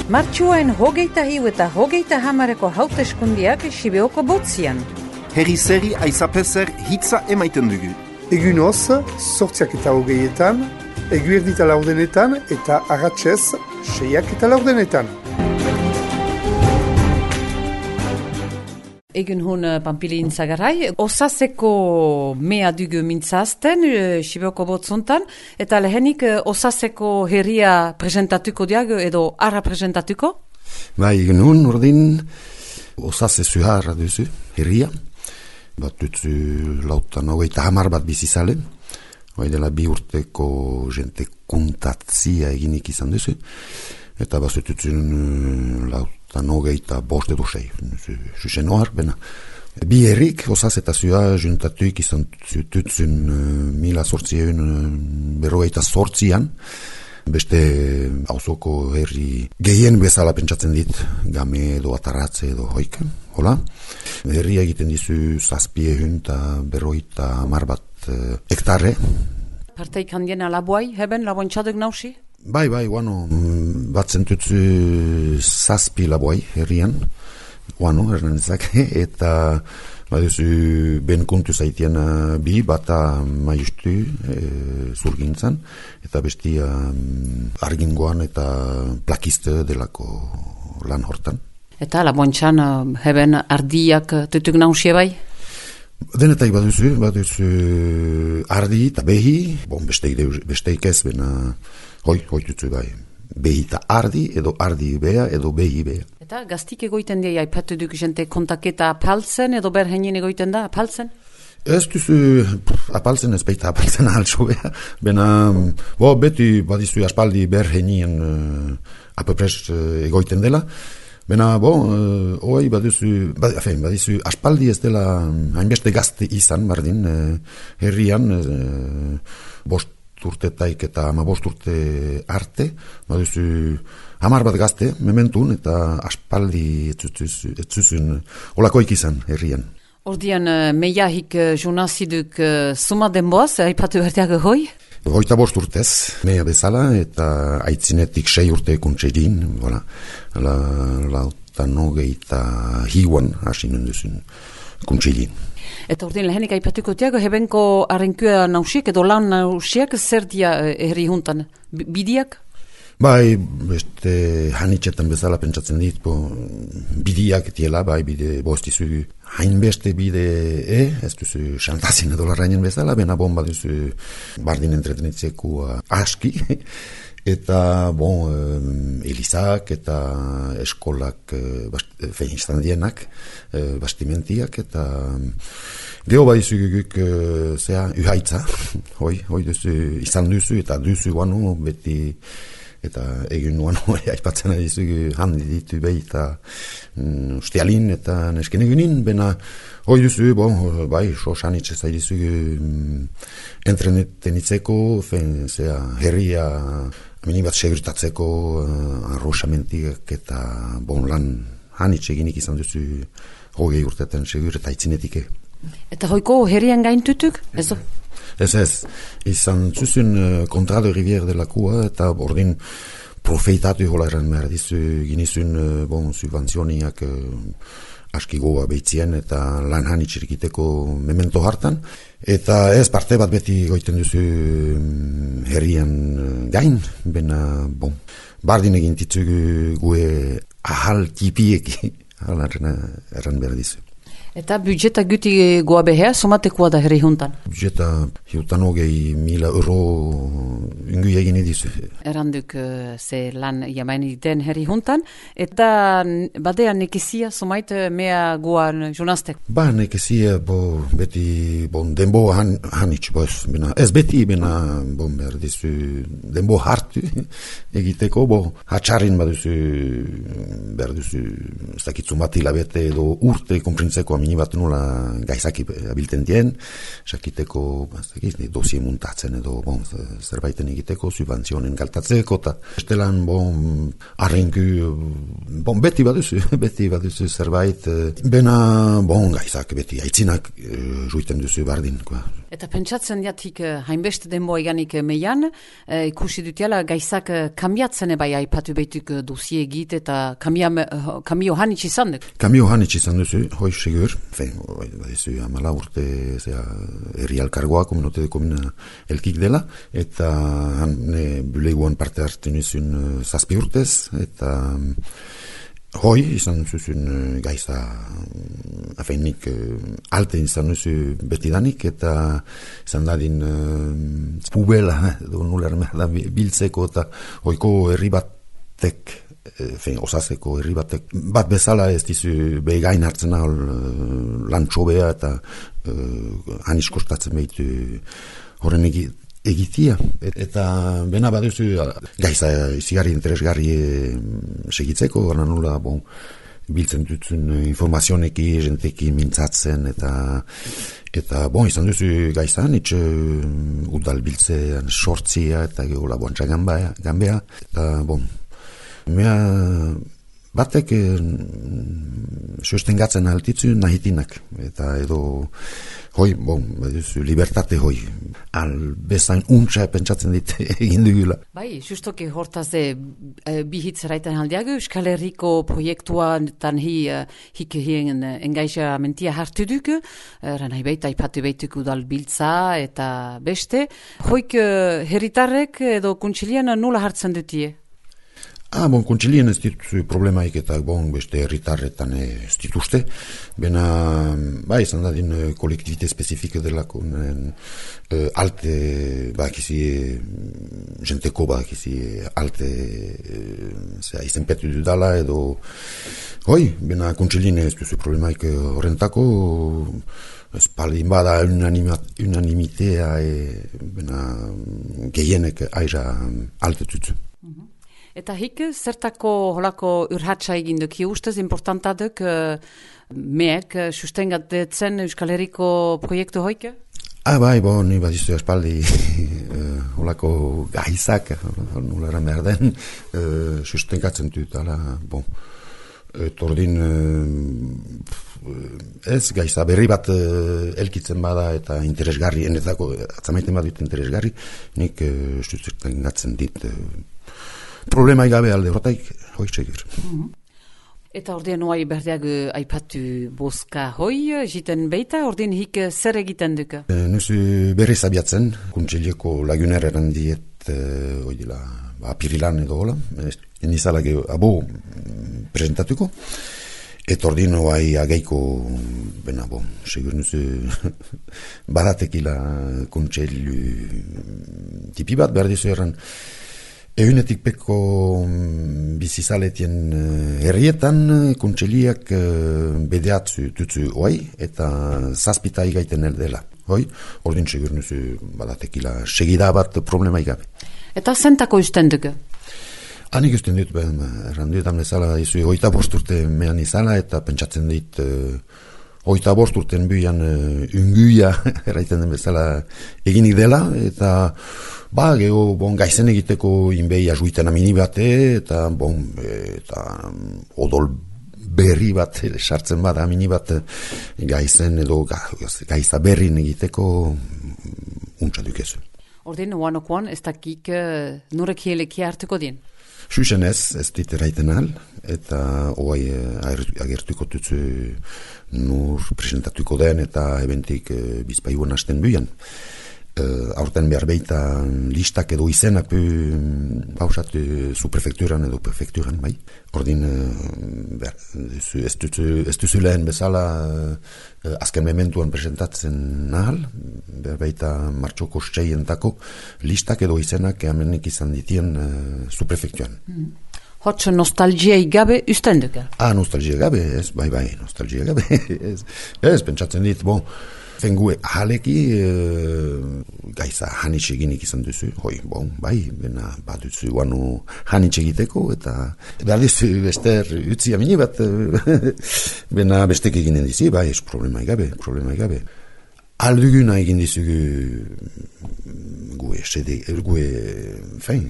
Martxuaren 21 eta 30 hauteskundiak Sibeoko botzian. Herri zeri aizapezer hitza emaiten dugu. Egun hoz, 8:20, eguerdita laurdenetan eta agatzez 6:10. Egun hun Pampilin Zagarai, osaseko mea dugu mintzazten, Sibeoko botzontan, eta lehenik osaseko herria presentatuko diago edo arra presentatuko? Bai, egun hun urdin osase zuharra duzu, herria. Bat dutzu lautan hogeita hamar bat bizizalen, hoi dela 2 urteko jente kuntatzia eginik izan duzu, eta bat zututzun lautan hogeita bost edo 6, zuzen ohar, bena. Bi herrik, osaz eta zua juntatuik izan zututzun 1848an, beste auzoko herri gehien bezala pentsatzen dit, game edo ataratze edo hoikan, hola. Herria egiten dizu 750 bat hektare. Parteik handien alabuai, heben labontxaduk nausi? Bai, guano, bat zentutzu 7 labuai herrian, guano, erranezak, eta baduzu ben kuntu zaitean bi bata maiustu zurgintzan, eta bestia argingoan eta plakiste delako lan hortan. Eta labontxan heben ardiak tutuk nausie bai? Denetai baduzu ardi eta behi, besteik ez, bena hoi tutzu bai. Behi eta ardi, edo ardi bea, edo behi bea. Eta gaztik egoiten dira, aipatu duk jente kontaketa apaltzen, edo berhenien egoiten da apaltzen? Ez duzu apaltzen, ez baita apaltzen ahaltso bea. Bena, beti badizu aspaldi berhenien apapres egoiten dela. Bena, hoi badizu aspaldi ez dela hainbeste gazte izan, bardin, herrian, 5 urtetaik eta 15 urte arte, baduzu 10 bat gazte, mementun, eta aspaldi etzuzun olakoik izan herrian. Ordian, meiahik junaziduk suma denboaz, aipatu berdeago hoi? 25 urtez, meia bezala, eta aitzinetik 6 urte kuntsedin, voilà. Lautan hogeita hiuan hasi nenduzun kuntsedin. Eta ordin lehenik aipatuko tiago, hebenko arrenkua nausiek edo lan nausiek zer dia herri juntan? Bidiak? Bai, beste hanitxetan bezala pentsatzen dit, bidiak etiela, bai, bide bostizu hainbeste bide ez duzu xantazin edo larrainen bezala, bena bomba duzu bardin entretenitzeko aski, eta elizak eta eskolak izan dienak, bastimentiak, eta geho badizu guguk uhaitza, hoi duzu, izan duzu eta duzu guano beti, eta egun guano aipatzen adizu handi ditu behi eta ustialin eta nesken egunin, bena hoi duzu, bai, sosanitxe zaidizu entrenetenitzeko, herria minibat segurtatzeko arroxamentiak eta lan hanitxe eginik izan duzu 20 urtetan segur eta itzinetike. Eta hoiko herrian gaintutuk? Ez, izan zuzun kontrado rivier delakua eta bordin profeitatu hola erran behar dizu ginizun subvenzioniak aski goa behitzien eta lan hanitxerikiteko memento hartan. Eta ez parte bat beti goiten duzu herrian gain, bena bardin egin titzugu gue ahal tipieki, erran behar dizu. Eta budjeta guti goa behea, somatekoa da herri juntan? Budjeta hiutan 100.000 euro ingu egin edizu. Erranduk ze lan jamaini den herri juntan, eta badean nekezia somait mea goan jonaztek? Nekezia beti denbo hanitz, ez beti bena behar dizu denbo hartu egiteko, hatxarrin baduzu behar duzu ez dakitzu bat hilabete edo urte konprintzeko minibat nola gaizaki abilten dien, sakiteko dosie muntatzen edo zerbaiten egiteko, subantzionen galtatzeko, eta estelan arrenku, beti baduzu zerbait, bena gaizak beti, aitzinak juiten duzu bardin. Eta pentsatzen jatik hainbeste denboa eganik meian, ikusi dutiala gaizak kambiatzen bai aipatu behituk dosie egit eta kamio hanitz izan duk. Kamio hanitz izan duzu, hoi segur, badizu amala urte herri alkargoa, kominote de komina elkik dela, eta buleguan parte hartu nizun 7 urtez, eta hoi izan zuzun gaiza nik alte izan duzu betidanik, eta izan dadin pubela biltzeko, eta hoiko herri batek osaseko herri batek bat bezala ez dizu begain hartzen lan txobea, eta hanis kostatzen behitu horren egitia, eta bena baduzu gaiza izigarri interesgarri segitzeko, gara nula biltzen dutzen informazioneki, jenteki mintzatzen, eta izan duzu gaizan, udal biltzean sortzia, eta gehola boantza gambea, eta mea batek sostengatzen altitzu nahitinak, eta edo hoi, libertate hoi, bezain untsa pentsatzen dit egin dugula. Bai, justoki hortaz bihitz raiten aldiago, Euskal Herriko proiektuan tan hik hien engagamentia hartu duk, ranai baita ipatu baituk udal biltza eta beste. Hoik herritarrek edo kuntsilian nola hartzen dutie? Kontsilien ez dituzu problemaik eta beste herritarretan ez dituzte. Bena, izan dadin kolektibite spezifike delako alte, jenteko alte izenpetu dudala edo bena kontsilien ez duzu problemaik horrentako, espaldin bada unanimitea bena gehienek aira alte tutu. Eta hik, zertako holako urhatsa egin duk, ustez importanta duk meek sustengatzen Euskal Herriko proiektu hoik? Ni badizu espaldi holako gaizak, nulara merden, sustengatzen dut, tordin ez gaiza berri bat elkitzen bada eta interesgarri, enetako atzamaiten badut interesgarri, nik sustengatzen dit problema igabe alde horretaik, hoi txegir. Eta ordean oai berdeag aipatu boska hoi, jiten beita, ordean hik zer egiten duka? Nuzu berriz abiatzen, kuntsilieko laguner erandiet, apirilan edo hola, nizala abo presentatuko, eta ordean oai ageiko, segur nuzu badatekila kuntsiliu tipi bat, behar dizu erran, Egunetik peko bizizaletien herrietan kuntseliak bedeatzu tutzu oai eta zazpita igaiten eldela. Ordin segur nuzu badatekila segida bat problema igabe. Eta zentako usten dugu? Hanik usten dut, erranduetan bezala izu 25 urte mehan izala eta pentsatzen dit 25 urten buian unguia erraiten den bezala eginik dela, eta gaizen egiteko inbei ajuiten amini bate, eta odol berri bat sartzen bada amini bat gaizen edo gaiza berrin egiteko untsa dukezu. Ordin, oanokoan, ez dakik nurek hieleki hartuko dien? Xuxen ez dit eraiten al, eta oai agertuko tutzu nur presentatuko den eta ebentik bizpaiguan hasten buian. Aurten behar beita listak edo izenak pausatu zu prefekturan edo prefekturan, bai. Ordin ez duzu lehen bezala azken mementuan presentatzen nahal, behar beita martxoko steientako listak edo izenak amenik izan ditien zu prefekturan. Hotxo nostalgiai gabe usten duka? Nostalgia gabe, ez, bai, nostalgia gabe. Ez, pentsatzen dit, Zengue ahaleki gaiza hanitxe eginik izan duzu, bai, bena bat duzu guanu hanitxe egiteko, eta behar duzu bester utzi amini bat, bena bestek eginen dizi, bai, ez problema egabe. Alduguna egin dizugu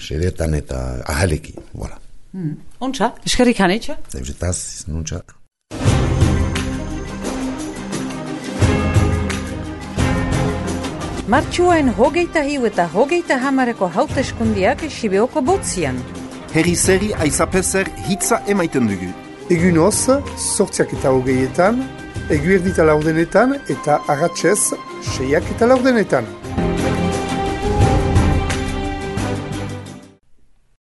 sedetan eta ahaleki, voilà. Ontsa, eskerrik hanitxe? Zeuzetaz, izan ontsa. Martxuain 25 eta 30 hauteskundiak Sibeoko botzian. Herri-zeri aizapezer hitza emaiten dugu. Egunoz, 8:20, eguerdita 4 eta arratsez 6:40.